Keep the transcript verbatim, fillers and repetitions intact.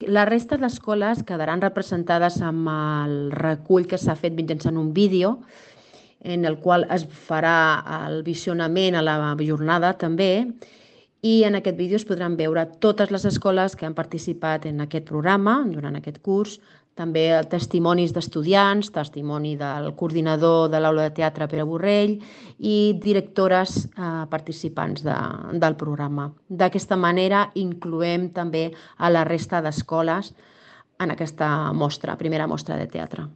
La resta d'escoles quedaran representades amb el recull que s'ha fet mitjançant un vídeo en el qual es farà el visionament a la jornada també, i en aquest vídeo es podran veure totes les escoles que han participat en aquest programa durant aquest curs, també testimonis d'estudiants, testimoni del coordinador de l'aula de teatre Pere Borrell i directores eh, participants de, del programa. D'aquesta manera incloem també a la resta d'escoles en aquesta mostra, primera mostra de teatre.